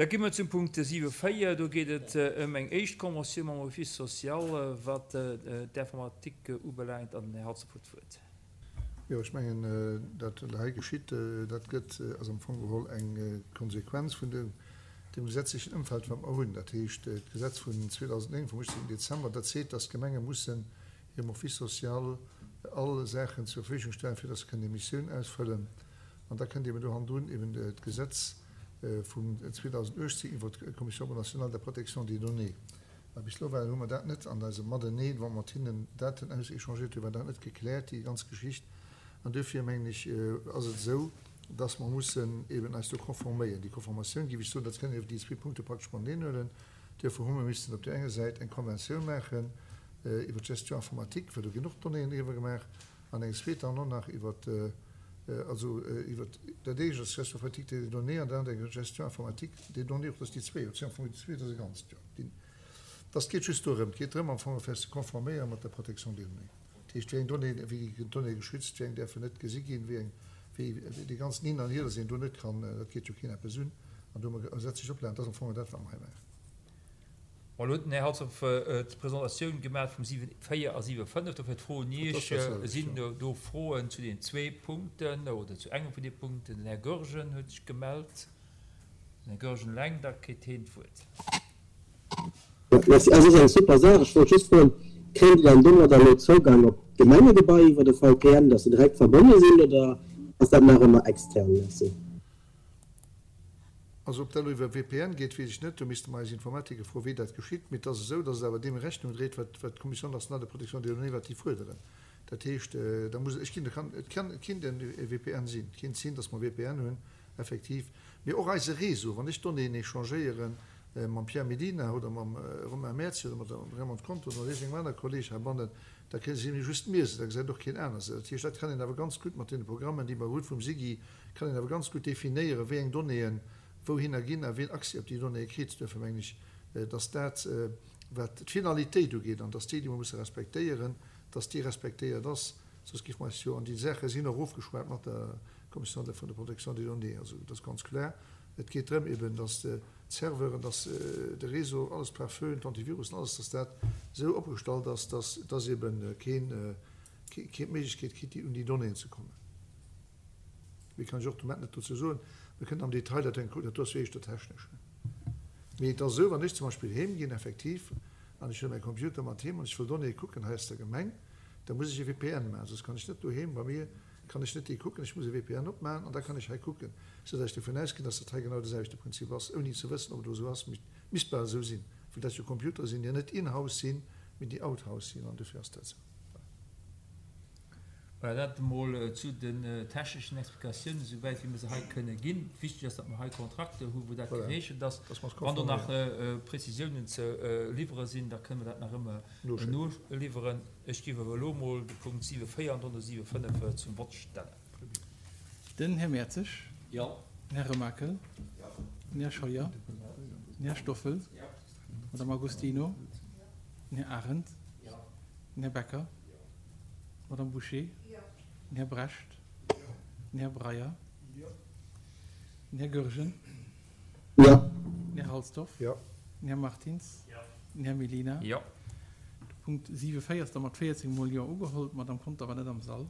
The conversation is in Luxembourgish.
Da gi mer zum Punkt 7, 4. Do geet et ëm eng éischt Conventioun mam Office social, wat d'Informatique ubelaangt. An den Här Halsdorf huet d'Wuert. Jo, ech mengen, dat wat hei geschitt, dat gëtt, ass am Fong geholl eng Konsequenz vun dem gesetzlechen Ëmfeld, wat mer hunn. Dat heescht, d'Gesetz vun 2009 vum 18. Dezember, dat seet, dass d'Gemenge mussen hirem Office social all Saachen zur Verfügung stellen, fir dass se kënnen hir Missioun ausfëllen. An da kënnt eben do hannendrun eben d'Gesetz vum 2018 iwwert d'Commission nationale de protection des données. Mä bis elo war, hu mer dat net an eisem Mateneen, wa mer mat hinnen Daten auséchangéiert hunn, war dat net gekläert, déi ganz Geschicht. An duerfir, mengen ech, ass et esou, dass mer mussen eben eis do konforméieren. Déi Konformatioun, géif ech soen, dat kënnen déi zwee Punkte praktesch mateneen huelen. Duerfir hu mer missen op där enger Säit eng Konventioun maachen iwwert d'Gestion informatique, well do ginn och Donnéeën driwwer gemaach, an eng zweet dann och nach iwwert, also iwwert, dat éischt ass d'Gestion informatique des données an dat anert eng Gestion informatique des données, och dass déi zwee, dat sinn am Fong déi zwee, dat ass e Ganzt, jo. Déi, dass geet just dorëm, et geet drëm am Fong fir eis ze konforméieren mat der Protection des données. Dat heescht, wéi eng Donnéeën, wéi ginn d'Donnéeë geschützt, wéi eng däerfen net gesi ginn, wéi eng, wéi dee ganzen Hin an Hier, dass een do net kann, dat geet jo keen eppes un, an do hu mer gesetzlech Oplagen, dat ass am Fong dat, wat mer hei maachen. Bon, elo huet den Här Halsdorf d'Presentatioun gemaach vum 7, 4 a 7, 5. Dofir d'Fro un Iech, Sinn do Froen zu deenen zwee Punkten oder zu engem vun deene Punkten? Den Här Goergen huet sech gemellt. Den Här Goergen eleng, da kritt heen d'Wuert. Merci. Also, ass eng super Saach. Ech wollt just froen, Kréien déi dann domadder elo Zougang op d'Gemengegebai iwwer de VPN, dass se direkt verbonne sinn, oder ass dat nach ëmmer extern? Merci. Also ob dat elo iwwer VPN geet, weess ech net. Do misste mer eis Informatiker froen, wéi dat geschitt. Mee et ass esou, datt et awer deem Rechnung dréit, wat d'Commission nationale de protection des données, wat déi fuerderen. Dat heescht, da muss, ech ginn, kann, et kann, et kinnt e VPN sinn. Et kinnt sinn, datt mer VPN hunn, effektiv. Mee och eise Réseau, wann ech Donnéeën échangéiere mam Pierre Mellina oder mam Romain Merzi oder mat der Raymonde Conter oder mat iergendengem anere Kolleeg heibannen, da gesi just mir se, da gesäit och keen aner se. Dat heescht, dat kann een awer ganz gutt mat deene Programmen, déi mer hu vum SIGI, kann een awer ganz gutt definéieren, wéi eng Donnéeën wouhinner ginn a wien Accès op déi Donnéeë kritt. Duerfir mengen ech, dass dat, wat d'Finalitéit ugeet, an dass déi, déi mer musse respektéieren, dass déi respektéiert ass. Soss géife mer eis jo, an déi Saache sinn och ofgeschwat mat der Commission vun der Protection des données, also dat ass ganz kloer, et geet drëm eben, dass d'Serveuren, dass de Réseau, alles pare-feu, d'Antivirussen, alles, dass dat esou opgestallt ass, dass, dass eben keen, keen d'Méiglechkeet kritt, déi, un déi Donnéeën ze kommen. Méi kann ech och de Moment net dozou soen. Mir kënnen am Detail dat dann kucken, dat do ass jo éischter technesch. Mee et ass esou, wann ech zum Beispill heem ginn, effektiv, an ech huele mäi Computer mat heem an ech wëll Donnéeë kucken hei aus der Gemeng, da muss ech e VPN maachen, soss kann ech net doheem bei mir, kann ech net déi kucken. Ech muss e VPN opmaachen an da kann ech hei kucken, soudatt ech dovun ausginn, datt dat hei genau de selwechte Prinzip ass, ouni ze wëssen, ob et elo esou ass. Mee et misst bal esou sinn, well dat jo Computere sinn, déi net in-house sinn, mee déi out-house sinn, an dofir ass dat esou. Voilà, dat emol zu den techneschen Explikatiounen, esouwäit wéi mir se hei kënne ginn. Wichtig ass, datt mer hei Kontrakte hu wou dat geregelt ass. Wann do nach Prezisiounen ze liwwere sinn, da kënne mer dat nach ëmmer noliwweren. Ech géif awer elo emol de Punkt 7,4 an dann de 7,5 zum Vott stellen. Den Här Mertzig. Jo. Den Här Remakel. Jo. Den Här Scheuer. Den Här Stoffel. Jo. D'Madame Agostino. Den Här Arendt. Jo. Den Här Becker. D'Madame Bouché. Den Här Brecht. Den Här Breyer. Den Här Goergen. Den Här Halsdorf. Den Här Martins. Den Här Mellina. De Punkt 7, 4 ass da mat 14 mol Jo ugeholl. D'Madame Conter war net am Sall.